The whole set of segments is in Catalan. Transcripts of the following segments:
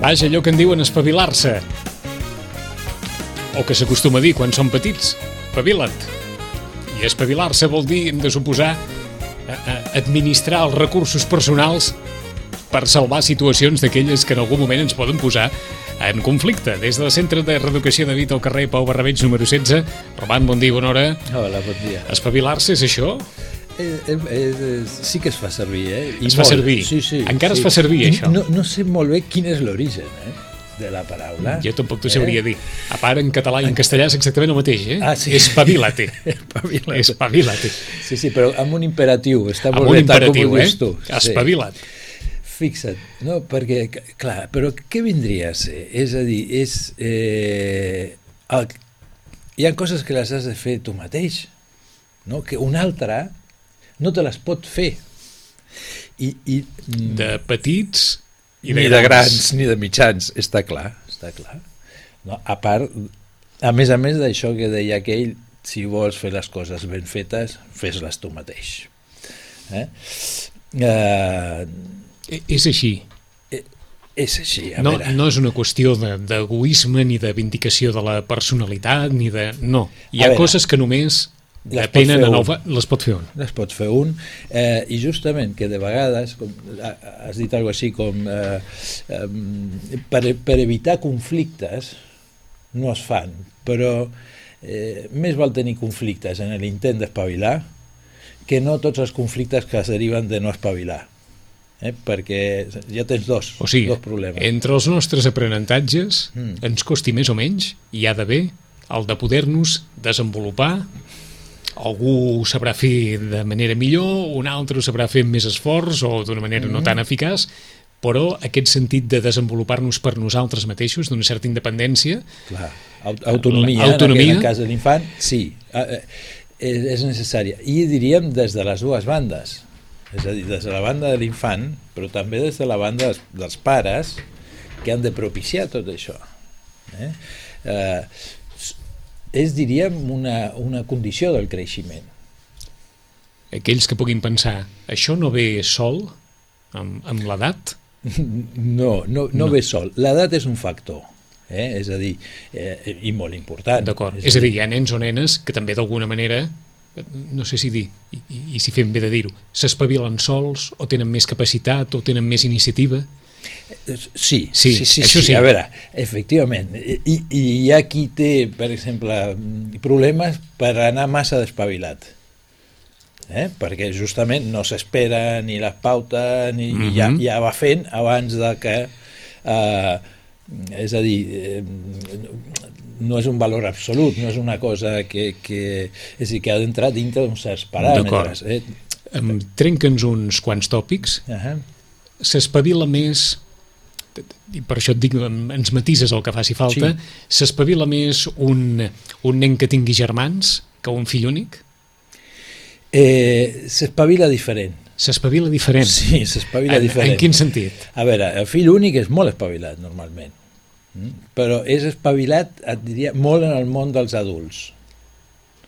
Vaja, allò que en diuen espavilar-se. O que s'acostuma a dir quan són petits. Espavila't. I espavilar-se vol dir, hem de suposar, administrar els recursos personals per salvar situacions d'aquelles que en algun moment ens poden posar en conflicte. Des del Centre de Reeducació de Vita al carrer Pau Barrabeig número 16. Roman, bon dia, bona hora. Hola, bon dia. Espavilar-se és això? Sí que es fa servir, Es fa servir? Sí, sí. Encara es fa servir, això? No sé molt bé quin és l'origen, de la paraula. Jo tampoc t'ho sabria dir. A part, en català i en castellà és exactament el mateix, Ah, sí. Espavilate. Espavilate. Sí, però amb un imperatiu. Està amb molt un bé, tal com imperatiu, ho dius tu. Espavila't. Fixa't, no? Perquè, clar, però què vindria a ser? És a dir, hi ha coses que les has de fer tu mateix, no? Que un altre no te les pot fer. De petits i ni de grans ni de mitjans, està clar. No, a part, a més d'això que deia aquell, si vols fer les coses ben fetes, fes-les tu mateix. És així. És així, a no, veure. No és una qüestió d'egoisme ni de vindicació de la personalitat, ni de... No, hi ha coses que només depenen les pot fer un. Les pot fer un, i justament que de vegades, has dit alguna cosa així com per evitar conflictes no es fan, però més val tenir conflictes en l'intent d'espavilar que no tots els conflictes que es deriven de no espavilar. Perquè ja tens dos problemes. Entre els nostres aprenentatges ens costi més o menys, hi ha d'haver el de poder-nos desenvolupar. Algú ho sabrà fer de manera millor, un altre ho sabrà fer amb més esforç o d'una manera no tan eficaç, però aquest sentit de desenvolupar-nos per nosaltres mateixos, d'una certa independència... Clar, autonomia, en el cas de l'infant, sí, és necessària. I diríem des de les dues bandes. És a dir, des de la banda de l'infant, però també des de la banda dels pares que han de propiciar tot això. És, diríem, una condició del creixement. Aquells que puguin pensar, això no ve sol amb l'edat? No ve sol. L'edat és un factor. És a dir, i molt important. D'acord. És a dir, hi ha nens o nenes que també d'alguna manera... no sé si dir, i si fem bé de dir-ho, s'espavilen sols o tenen més capacitat o tenen més iniciativa? Sí, això sí. A veure, efectivament, i hi ha qui té, per exemple, problemes per anar massa despavilat, perquè justament no s'espera ni les pautes ni ja va fent abans de que és a dir, no és un valor absolut, no és una cosa que ha d'entrar dintre d'uns certs paràmetres. Trenca'ns uns quants tòpics. S'espavila més, i per això et dic, ens matises el que faci falta, s'espavila més un nen que tingui germans que un fill únic? S'espavila diferent. S'espavila diferent? Sí, s'espavila diferent. En quin sentit? A veure, el fill únic és molt espavilat, normalment. Però és espavilat, et diria, molt en el món dels adults.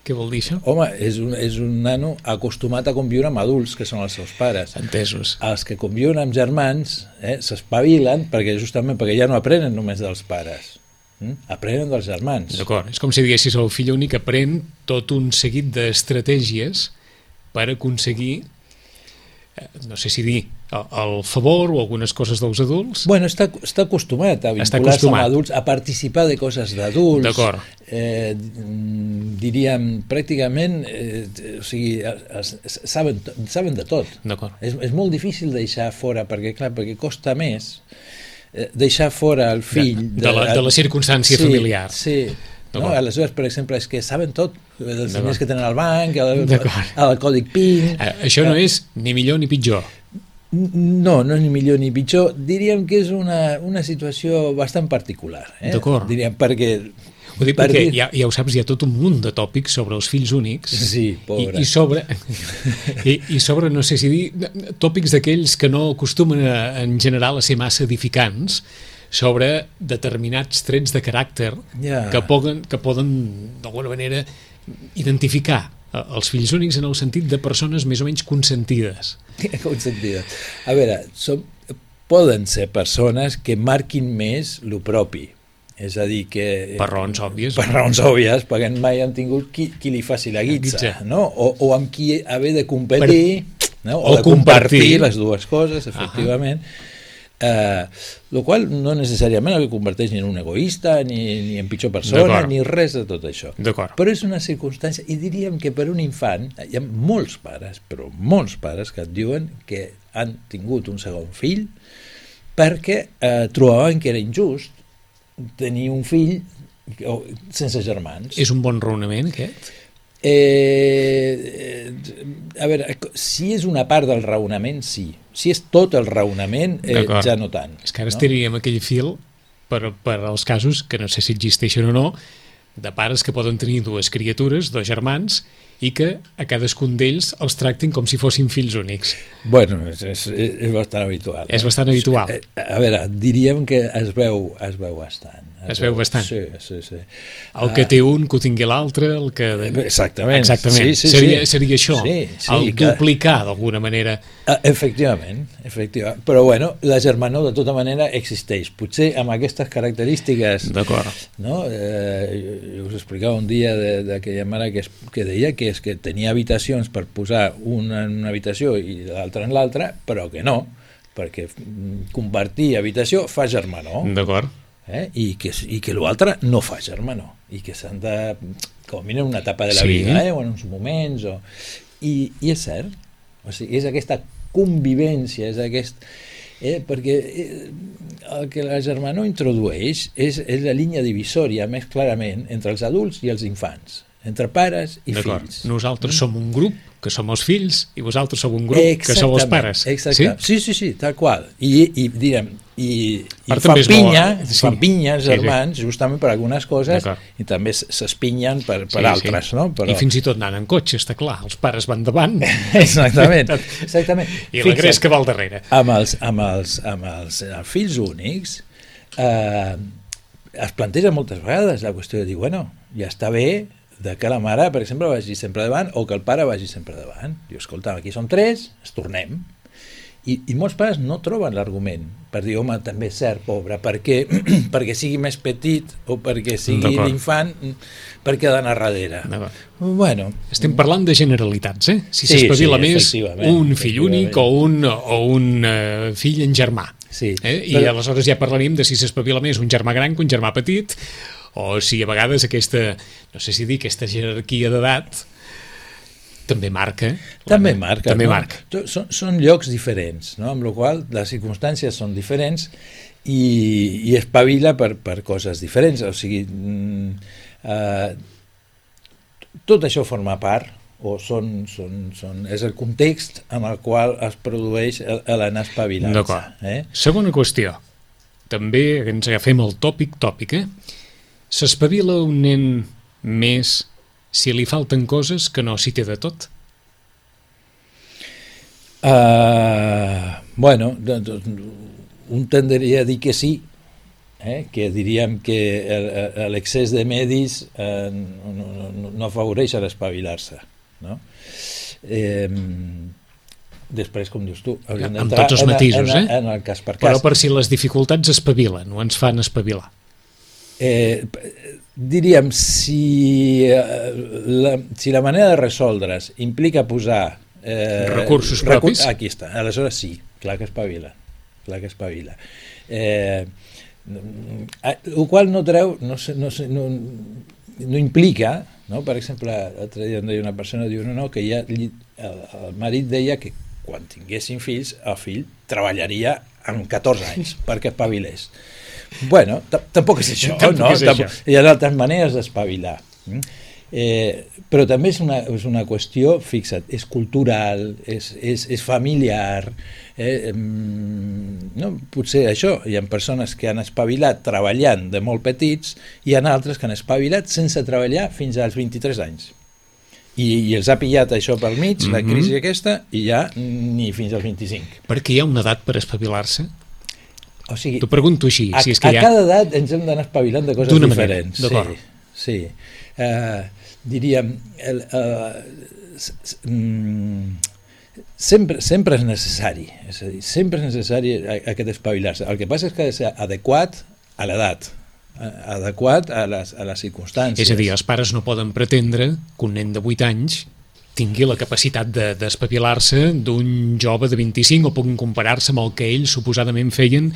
Què vol dir això? Home, és un nano acostumat a conviure amb adults, que són els seus pares. Entesos. Els que conviuen amb germans s'espavilen justament perquè ja no aprenen només dels pares, aprenen dels germans. D'acord, és com si diguessis el fill únic aprèn tot un seguit d'estratègies per aconseguir, no sé si dir, el favor o algunes coses dels adults. Bueno, està acostumat a vincular-se amb adults, a participar de coses d'adults. D'acord. Diríem, pràcticament, o sigui, saben de tot. D'acord. És molt difícil deixar fora, perquè costa més deixar fora el fill... De la circumstància familiar. Sí. No? Aleshores, per exemple, és que saben tot, els diners que tenen al banc, el còdic PIN... Això no és ni millor ni pitjor. No és ni millor ni pitjor. Diríem que és una situació bastant particular. D'acord. Diríem, perquè... Ho dic perquè ja ho saps, hi ha tot un munt de tòpics sobre els fills únics. Sí, pobre. I sobre, no sé si dir, tòpics d'aquells que no acostumen en general a ser massa edificants, sobre determinats trets de caràcter que poden d'alguna manera identificar els fills únics en el sentit de persones més o menys consentides. Consentides. A veure, poden ser persones que marquin més lo propi. És a dir, que... Per raons òbvies. Per raons òbvies, perquè mai han tingut qui li faci la guitza, no? O amb qui haver de competir, no? O de compartir les dues coses, efectivament. Lo qual no necessàriament el converteix ni en un egoista, ni en pitjor persona, ni res de tot això. Però és una circumstància, i diríem que per un infant, hi ha molts pares, però molts pares que et diuen que han tingut un segon fill perquè trobaven que era injust tenir un fill sense germans. És un bon raonament, aquest? A veure, si és una part del raonament, sí. Si és tot el raonament, ja no tant. És que ara estaríem aquell fil per als casos, que no sé si existeixen o no, de pares que poden tenir dues criatures, dos germans, i que a cadascun d'ells els tractin com si fossin fills únics. Bueno, és bastant habitual. És bastant habitual. A veure, diríem que es veu bastant. Es veu bastant. Sí. El que té un, que ho tingui l'altre, el que... Exactament. Sí. Seria això, el duplicar d'alguna manera. Efectivament. Però bueno, la germanor de tota manera existeix. Potser amb aquestes característiques... D'acord. No? Jo us explicava un dia d'aquella mare que deia que és que tenia habitacions per posar una en una habitació i l'altra en l'altra, però que no, perquè compartir habitació fa germanor. D'acord. I que l'altre no fa germanor, i que s'han de, com a mínim, una etapa de la vida, o en uns moments, i és cert, o sigui, és aquesta convivència, és aquest... perquè el que la germanor introdueix és la línia divisòria més clarament entre els adults i els infants, entre pares i fills. Nosaltres som un grup, que som els fills, i vosaltres sou un grup, que sou els pares. Sí, tal qual. I direm, i fan pinya els germans justament per algunes coses, i també s'espinyen per altres, no? I fins i tot anant en cotxe, està clar, els pares van davant. Exactament. I la gresca va al darrere. Amb els fills únics es planteja moltes vegades la qüestió de dir, bueno, ja està bé de que la mare, per exemple, vagi sempre davant o que el pare vagi sempre davant. Diu, escolta, aquí som 3, ens tornem. I molts pares no troben l'argument per dir, home, també és cert, pobre, perquè sigui més petit o perquè sigui l'infant, perquè ha d'anar darrere. Bueno, estem parlant de generalitats, si s'espavila més un fill únic o un fill en germà. I aleshores ja parlaríem de si s'espavila més un germà gran que un germà petit, o si a vegades aquesta, no sé si dir, aquesta jerarquia d'edat també marca. També marca. Són llocs diferents, no? Amb la qual les circumstàncies són diferents i espavila per coses diferents. O sigui, tot això forma part, o és el context en el qual es produeix l'anar espavilant. D'acord. Segona qüestió. També ens agafem el tòpic, s'espavila un nen més si li falten coses que no s'hi té de tot? Bueno, un tendria a dir que sí, que diríem que l'excés de medis no afavoreix a l'espavilar-se, no? Després, com dius tu, hauríem d'entrar amb tots els matisos, en el cas per cas. Però per si les dificultats espavilen o ens fan espavilar. Diríem, si la manera de resoldre's implica posar recursos propis, aquí està, aleshores sí, clar que espavila, el qual no treu, no implica, no? Per exemple, l'altre dia em deia una persona, diu, no, que ja el marit deia que quan tinguessin fills, el fill treballaria amb 14 anys perquè espavilés. Bueno, tampoc és això, no? Hi ha altres maneres d'espavilar. Però també és una qüestió, fixa't, és cultural, és familiar. No? Potser això, hi ha persones que han espavilat treballant de molt petits i hi ha altres que han espavilat sense treballar fins als 23 anys. I els ha pillat això pel mig, la crisi aquesta, i ja ni fins als 25. Perquè hi ha una edat per espavilar-se? O sigui, t'ho pregunto així. A cada edat ens hem d'anar espavilant de coses diferents. Sí. Diríem, sempre és necessari, és a dir, sempre és necessari aquest espavilar-se. El que passa és que ha de ser adequat a l'edat, adequat a les circumstàncies. És a dir, els pares no poden pretendre que un nen de 8 anys tingui la capacitat d'espavilar-se d'un jove de 25 o puguin comparar-se amb el que ells suposadament feien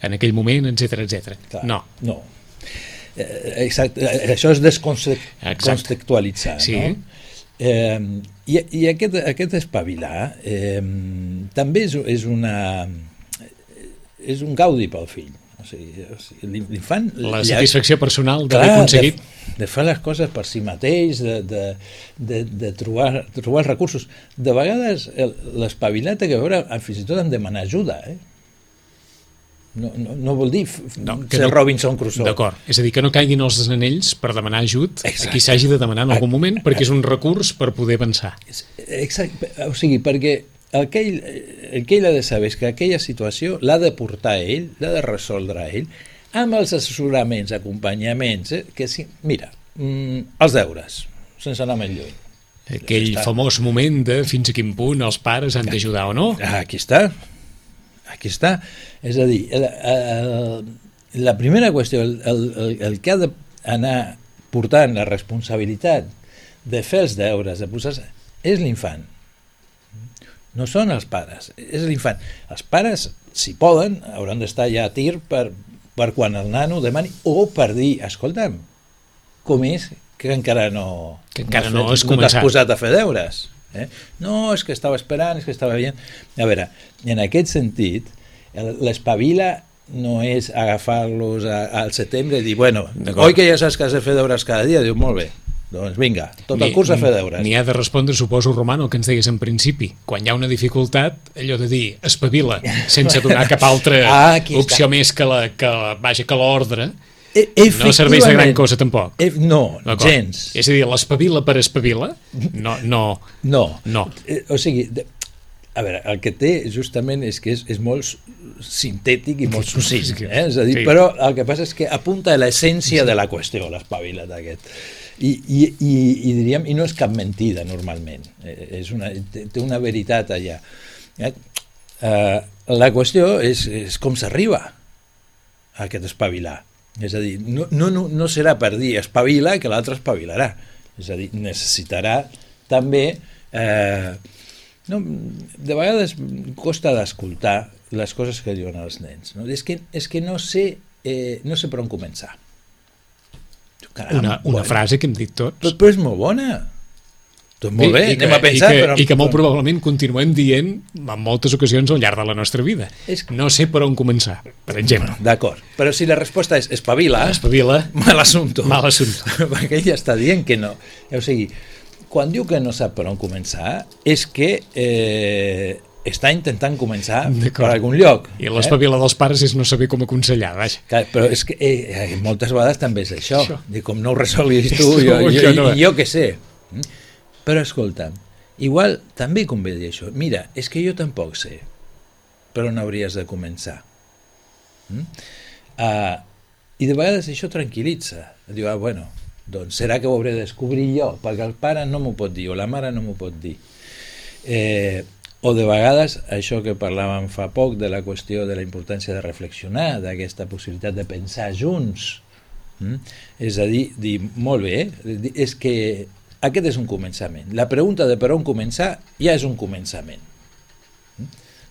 en aquell moment, etc. No. Exacte, això és descontextualitzar, sí. No? I aquest espavilar també és un gaudi pel fill. O sigui, l'infant... La satisfacció personal d'haver aconseguit... De fer les coses per si mateix, de trobar els recursos. De vegades l'espavilar té a veure fins i tot en demanar ajuda, No vol dir ser Robinson Crusoe. D'acord, és a dir, que no caiguin els anells per demanar ajut a qui s'hagi de demanar en algun moment, perquè és un recurs per poder avançar. Exacte, o sigui, perquè el que ell ha de saber és que aquella situació l'ha de portar ell, l'ha de resoldre ell, amb els assessoraments, acompanyaments, que sí, mira, els deures, sense anar més lluny. Aquell famós moment de fins a quin punt els pares han d'ajudar o no. Aquí està. És a dir, la primera qüestió, el que ha d'anar portant la responsabilitat de fer els deures, de posar-se, és l'infant. No són els pares, és l'infant. Els pares, si poden, hauran d'estar ja a tir per quan el nano demani, o per dir, escolta'm, com és que encara no t'has posat a fer deures? No, és que estava esperant, és que estava veient... A veure, en aquest sentit, l'espavila no és agafar-los al setembre i dir, bueno, oi que ja saps que has de fer deures cada dia? Diu, molt bé, doncs vinga, tot el curs a fer deures. N'hi ha de respondre, suposo, Romano, el que ens deies en principi. Quan hi ha una dificultat, allò de dir, espavila, sense donar cap altra opció més que l'ordre, no serveix de gran cosa tampoc. No, gens. És a dir, l'espavila per espavila? No. O sigui, a veure, el que té justament és que és molt sintètic i molt succint, és a dir, però el que passa és que apunta a l'essència de la qüestió, l'espavila d'aquest. I diríem, i no és cap mentida normalment, té una veritat allà. La qüestió és com s'arriba a aquest espavilar. És a dir, no serà per dir espavila que l'altre espavilarà. És a dir, necessitarà també... de vegades costa d'escoltar les coses que diuen els nens. No? És que no sé per on començar. Caram, una frase que hem dit tots. Però és molt bona. Doncs molt bé, anem a pensar... I que molt probablement continuem dient en moltes ocasions al llarg de la nostra vida. No sé per on començar, per exemple. D'acord, però si la resposta és espavila, mal assumpto. Perquè ell està dient que no. O sigui, quan diu que no sap per on començar, és que està intentant començar per algun lloc. I l'espavila dels pares és no saber com aconsellar, vaja. Però és que moltes vegades també és això. Com no ho resolguis tu, jo què sé. Però escolta'm, igual també convé dir això. Mira, és que jo tampoc sé per on hauries de començar. I de vegades això tranquil·litza. Diu, bueno, doncs serà que ho hauré de descobrir jo, perquè el pare no m'ho pot dir, o la mare no m'ho pot dir. O de vegades, això que parlàvem fa poc de la qüestió de la importància de reflexionar, d'aquesta possibilitat de pensar junts. És a dir, molt bé, és que aquest és un començament. La pregunta de per on començar ja és un començament.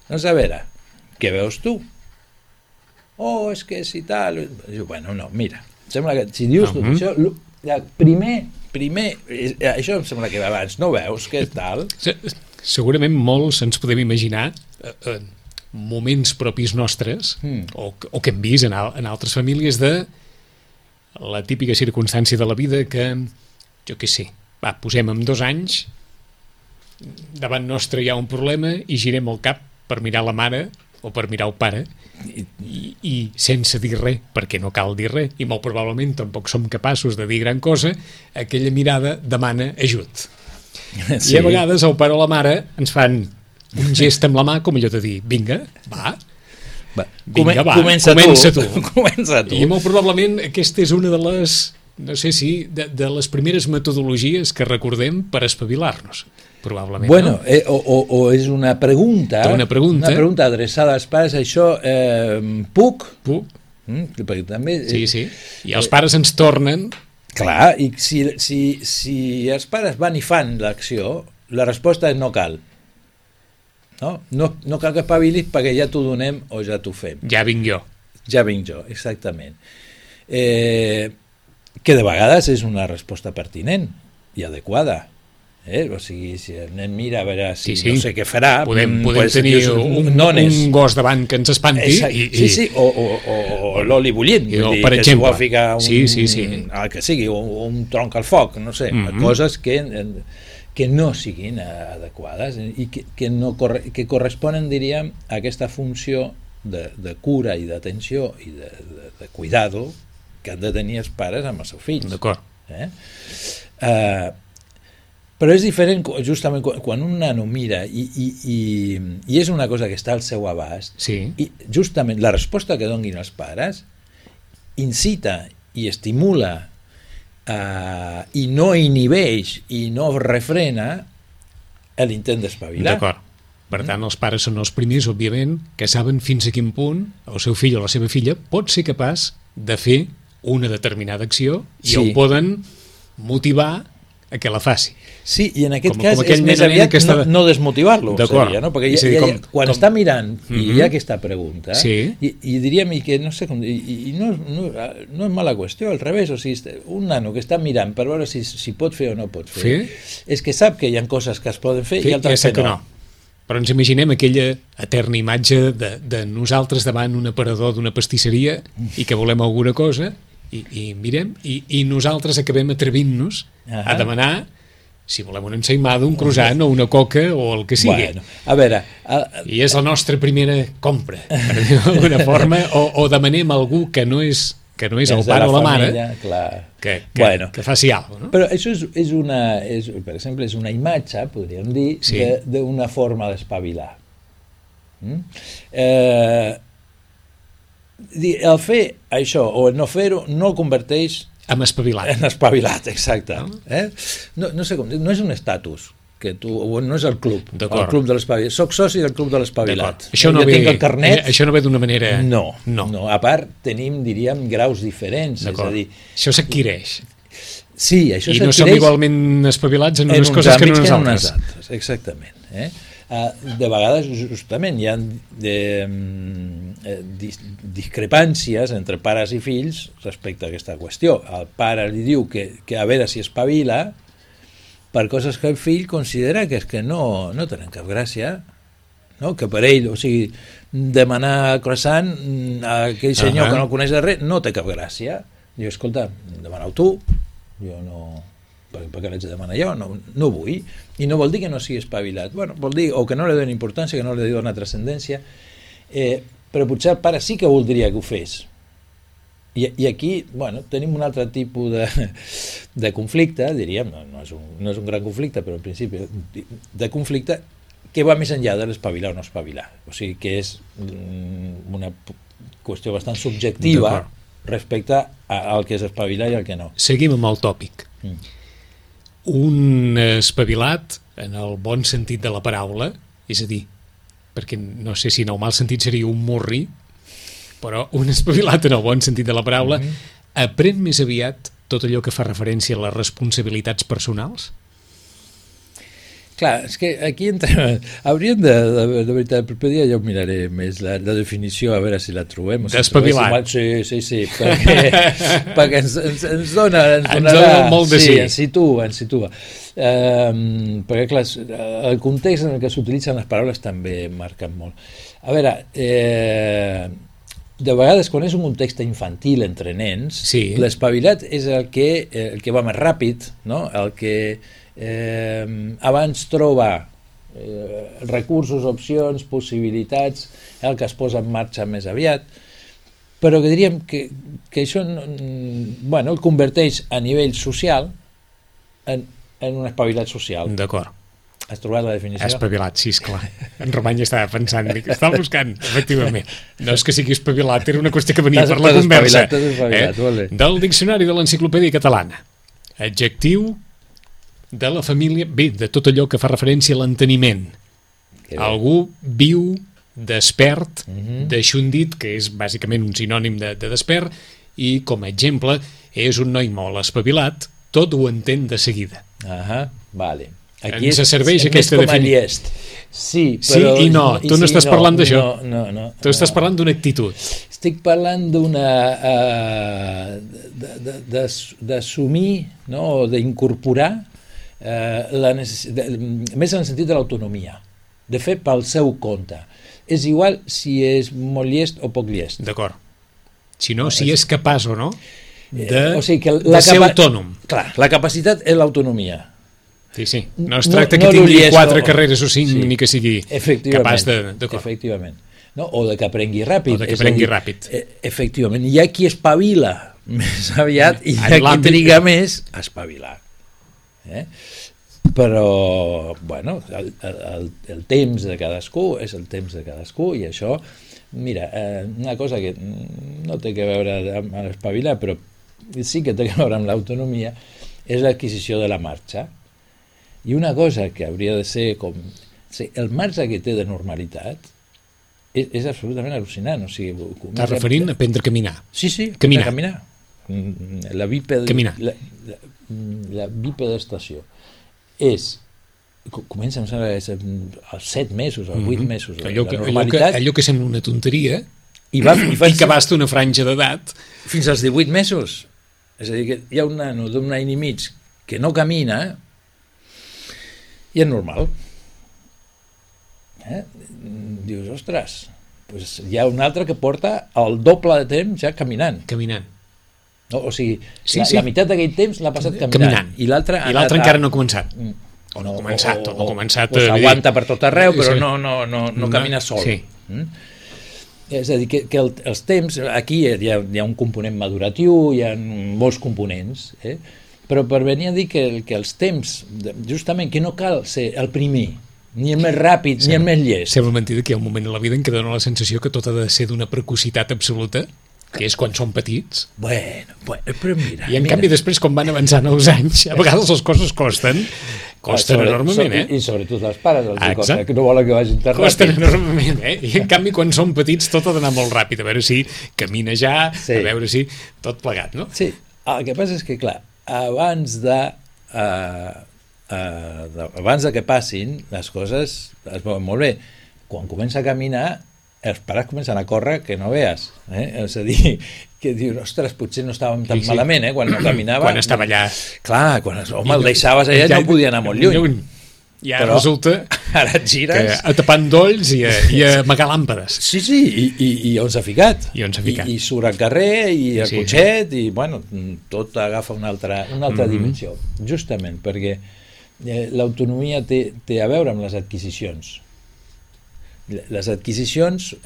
Doncs a veure, què veus tu? És que si tal... Bueno, no, mira, sembla que si dius tot això, primer, això em sembla que abans no veus que tal... Segurament molts ens podem imaginar moments propis nostres o que hem vist en altres famílies de la típica circumstància de la vida que, jo què sé, posem amb 2 anys, davant nostre hi ha un problema i girem el cap per mirar la mare o per mirar el pare i sense dir res, perquè no cal dir res, i molt probablement tampoc som capaços de dir gran cosa, aquella mirada demana ajut. Sí. I a vegades el pare o la mare ens fan un gest amb la mà com allò de dir, vinga, va, comença tu. I molt probablement aquesta és una de les no sé si de les primeres metodologies que recordem per espavilar-nos, probablement. Bueno, no? O és una pregunta adreçada als pares, això, puc? Perquè també... Sí, i els pares ens tornen... Clar, i si els pares van i fan l'acció, la resposta és no cal. No cal que espavilis perquè ja t'ho donem o ja t'ho fem. Ja vinc jo, exactament. Que de vegades és una resposta pertinent i adequada. O sigui, si el nen mira a veure si no sé què farà... Podem tenir un gos davant que ens espanti. Sí, o l'oli bullint, per exemple. Que s'hi vol ficar el que sigui, un tronc al foc, no sé, coses que no siguin adequades i que corresponen, diríem, a aquesta funció de cura i d'atenció i de cuidado que han de tenir els pares amb els seus fills. D'acord. Però és diferent justament quan un nano mira i és una cosa que està al seu abast, i justament la resposta que donin els pares incita i estimula i no inhibeix i no refrena l'intent d'espavilar. D'acord. Per tant, els pares són els primers, òbviament, que saben fins a quin punt el seu fill o la seva filla pot ser capaç de fer una determinada acció i el poden motivar a que la faci. Sí, i en aquest cas és més aviat no desmotivar-lo, seria, no? Perquè quan està mirant i hi ha aquesta pregunta, i diríem que no sé com, i no és mala qüestió, al revés, o sigui, un nano que està mirant per veure si pot fer o no pot fer, és que sap que hi ha coses que es poden fer i altres que no. Però ens imaginem aquella eterna imatge de nosaltres davant un aparador d'una pastisseria i que volem alguna cosa i mirem, i nosaltres acabem atrevint-nos a demanar si volem una ensaïmada, un croissant o una coca o el que sigui. Bueno, a veure... I és la nostra primera compra, per dir-ho d'alguna forma, o demanem a algú que no és el pare o la mare que faci alguna cosa. No? Però això per exemple, és una imatge, podríem dir, d'una forma d'espavilar. El fer això o el no fer-ho no el converteix en espavilat. En espavilat, exacte. No sé com dir, no és un estatus, no és el club de l'espavilat. Soc soci del club de l'espavilat. Això no ve d'una manera... No. A part, tenim, diríem, graus diferents. És a dir, això s'adquireix. Sí, això s'adquireix. I no som igualment espavilats en unes coses que en unes altres. Exactament. De vegades, justament, hi ha discrepàncies entre pares i fills respecte a aquesta qüestió. El pare li diu que a veure si espavila per coses que el fill considera que és que no tenen cap gràcia, no? Que per ell, o sigui, demanar croissant a aquell senyor que no coneix de res no té cap gràcia. Diu, escolta, demana-ho tu, jo no... perquè l'haig de demanar jo, no vull, i no vol dir que no sigui espavilat, vol dir o que no li donen importància, que no li donen trascendència, però potser el pare sí que voldria que ho fes, i aquí tenim un altre tipus de conflicte, diríem, no és un gran conflicte, però en principi de conflicte que va més enllà de l'espavilar o no espavilar, o sigui que és una qüestió bastant subjectiva respecte al que és espavilar i al que no. Seguim amb el tòpic. Un espavilat en el bon sentit de la paraula, és a dir, perquè no sé si en el mal sentit seria un morri, però un espavilat en el bon sentit de la paraula aprèn més aviat tot allò que fa referència a les responsabilitats personals? Clar, és que aquí entrem... Hauríem de veritat, el proper dia ja ho miraré més, la definició, a veure si la trobem. D'espavilat. Sí, perquè ens dona molt de sí. Ens situa. Perquè, clar, el context en el que s'utilitzen les paraules també marquen molt. A veure, de vegades, quan és un context infantil entre nens, l'espavilat és el que va més ràpid, no? El que abans troba recursos, opcions, possibilitats, el que es posa en marxa més aviat, però que diríem que això el converteix a nivell social en un espavilat social. D'acord. Has trobat la definició? Espavilat, sí, esclar. En Romany estava pensant, dic, estava buscant, efectivament. No és que sigui espavilat, era una qüestió que venia per la conversa. Del Diccionari de l'Enciclopèdia Catalana. Adjectiu de la família, bé, de tot allò que fa referència a l'enteniment. Algú viu, despert, deixundit, que és bàsicament un sinònim de despert, i com a exemple és un noi molt espavilat, tot ho entén de seguida. Vale. Aquí ens serveix aquesta definició. Sí, però... Sí i no, tu no estàs parlant d'això. No. Tu estàs parlant d'una actitud. Estic parlant d'una... d'assumir, no?, o d'incorporar la necessitat, més en el sentit de l'autonomia, de fer pel seu compte. És igual si és molt llest o poc llest. D'acord. Si no, si és capaç o no o sigui que de ser autònom. Clar, la capacitat és l'autonomia. Sí. No es tracta que tingui 4 carreres o 5, ni que sigui capaç de... Efectivament. No? O de que aprengui ràpid. Efectivament. Hi ha qui espavila més aviat i hi ha qui triga més a espavilar. Però, bueno, el temps de cadascú és el temps de cadascú i això, mira, una cosa que no té que veure amb l'espavilar, però sí que té que veure amb l'autonomia, és l'adquisició de la marxa. I una cosa que hauria de ser com... el marge que té de normalitat és absolutament al·lucinant. O sigui, estàs referint a aprendre a caminar? Sí, caminar. La bipedestació és... Comença, em sembla, als 7 mesos, als 8 mesos. Allò que sembla una tonteria i que abasta una franja d'edat. Fins als 18 mesos. És a dir, que hi ha un nano d'un any i mig que no camina i és normal. Dius, ostres, doncs hi ha un altre que porta el doble de temps ja caminant. No, o sigui, la meitat d'aquell temps l'ha passat caminant. I l'altre encara no ha començat. O no ha començat. O s'aguanta per tot arreu, però no camina sol. Sí. És a dir, que els temps, aquí hi ha un component maduratiu, hi ha molts components, però per venir a dir que els temps, justament, que no cal ser el primer, ni el més ràpid, ni el més llest. Sembla mentida que hi ha un moment a la vida en què dona la sensació que tot ha de ser d'una precocitat absoluta, que és quan són petits. Bueno, però mira... I en canvi després, com van avançant els anys, a vegades les coses costen enormement, I sobretot els pares els costen, que no volen que vagin tan ràpid. Costen enormement, I en canvi quan són petits tot ha d'anar molt ràpid, a veure si camina ja, a veure si... tot plegat, no? Sí, el que passa és que, clar, abans de que passin, les coses es veuen molt bé. Quan comença a caminar, els pares comencen a córrer que no veas. És a dir, que dius, ostres, potser no estàvem tan malament, quan no caminava. Quan estava allà. Clar, quan el deixaves allà no podia anar molt lluny. Ja però resulta ara et gires que a tapant dolls i a amagar làmpades. Sí, i on s'ha ficat. I surt al carrer i al cotxet i bueno, tot agafa una altra dimensió. Justament perquè l'autonomia té a veure amb les adquisicions. Les adquisicions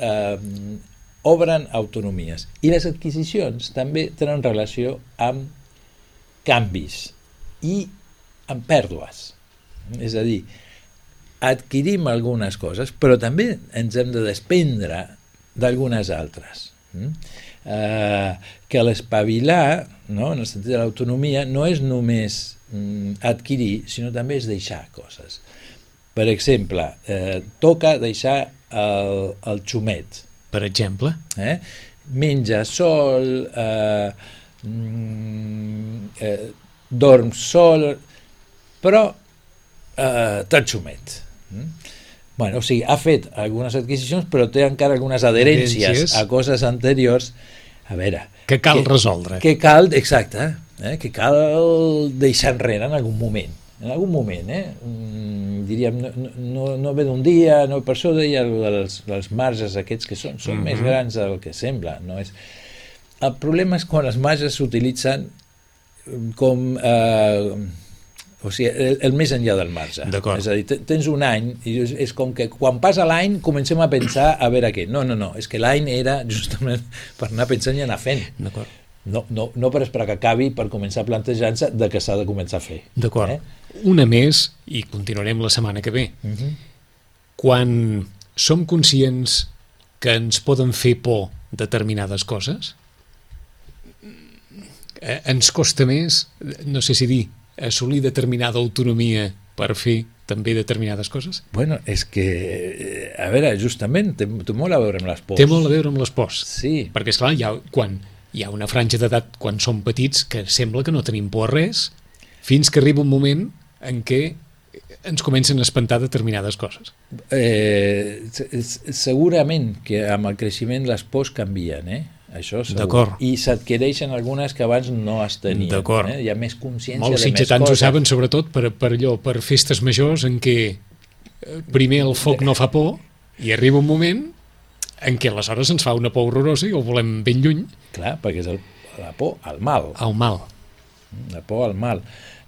obren autonomies i les adquisicions també tenen relació amb canvis i amb pèrdues. És a dir, adquirim algunes coses, però també ens hem de desprendre d'algunes altres. Que l'espavilar, no, en el sentit de l'autonomia, no és només adquirir, sinó també és deixar coses. Per exemple, toca deixar el xumet. Per exemple? Menja sol, dorm sol, però tan xumet. Bueno, o sigui, ha fet algunes adquisicions, però té encara algunes adherències a coses anteriors. A veure... Que cal resoldre. Que cal, exacte, que cal deixar enrere en algun moment. En algun moment, diríem, no ve d'un dia, no, per això deia els marges aquests que són més grans del que sembla. No és... El problema és quan els marges s'utilitzen com... o sigui, el més enllà del marge. És a dir, tens un any i és com que quan passa l'any comencem a pensar a veure què. No, és que l'any era justament per anar pensant i anar fent. No per esperar que acabi per començar plantejant-se de què s'ha de començar a fer. D'acord. Una més, i continuarem la setmana que ve. Quan som conscients que ens poden fer por determinades coses, ens costa més, no sé si dir, assolir determinada autonomia per fer també determinades coses? Bueno, és que, a veure, justament, té molt a veure amb les pors. Té molt a veure amb les pors. Sí. Perquè, esclar, quan hi ha una franja d'edat, quan som petits, que sembla que no tenim por a res, fins que arriba un moment en què ens comencen a espantar determinades coses. Segurament que amb el creixement les pors canvien, això segur. D'acord. I s'adquireixen algunes que abans no es tenien. D'acord. Hi ha més consciència Molts de més sitgetans coses. ho saben, sobretot per festes majors en què primer el foc no fa por i arriba un moment en què aleshores ens fa una por horrorosa i ho volem ben lluny. Clar, perquè és la por al mal. Al mal. La por al mal.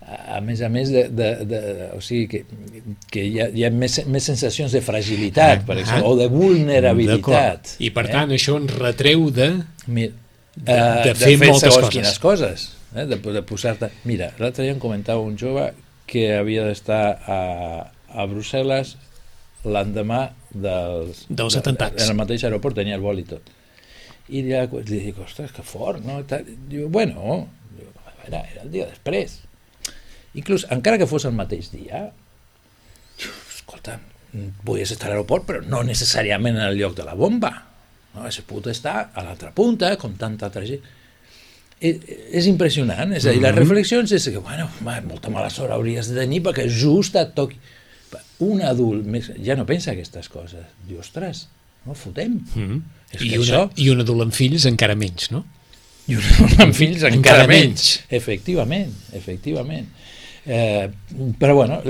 A més, o sigui que hi ha més sensacions de fragilitat, per exemple, o de vulnerabilitat. I per tant això ens retreu de fer moltes coses. Quines coses, de posar-te... Mira, l'altre dia em comentava un jove que havia d'estar a Brussel·les l'endemà dels atentats. En el mateix aeroport tenia el vol i tot. I li dic, ostres, que fort, no? Diu, bueno, era el dia després. Inclús, encara que fos el mateix dia, escolta, podies estar a l'aeroport, però no necessàriament en el lloc de la bomba. No? Has pogut estar a l'altra punta, com tanta altra gent. És impressionant, és a dir, les reflexions és que, bueno, molta mala sort hauries de tenir perquè just et toqui. Un adult ja no pensa aquestes coses. Diu, ostres, no fotem. I un adult amb fills encara menys, no? I un adult amb fills encara menys. Efectivament. Però bueno,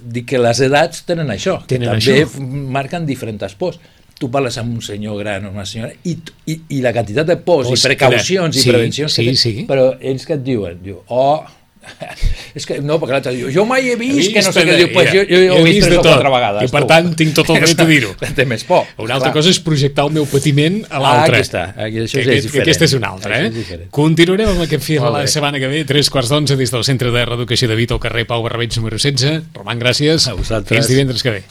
dic que les edats tenen això, també marquen diferents pors. Tu parles amb un senyor gran o una senyora i la quantitat de pors i precaucions i prevencions però ells que et diuen, és que no, perquè l'altre diu, jo mai he vist que no sé què, diu, pues jo he vist 3 o 4 vegades. I per tant tinc tot el dret a dir-ho. Té més por. Una altra cosa és projectar el meu patiment a l'altre. Aquí està, això és diferent. Aquesta és una altra, Continuarem amb aquest fil la setmana que ve, 3:15 des del Centre de Reeducació de Vita al carrer Pau Barrabeig número 16. Roman, gràcies. A vosaltres. Fins divendres que ve.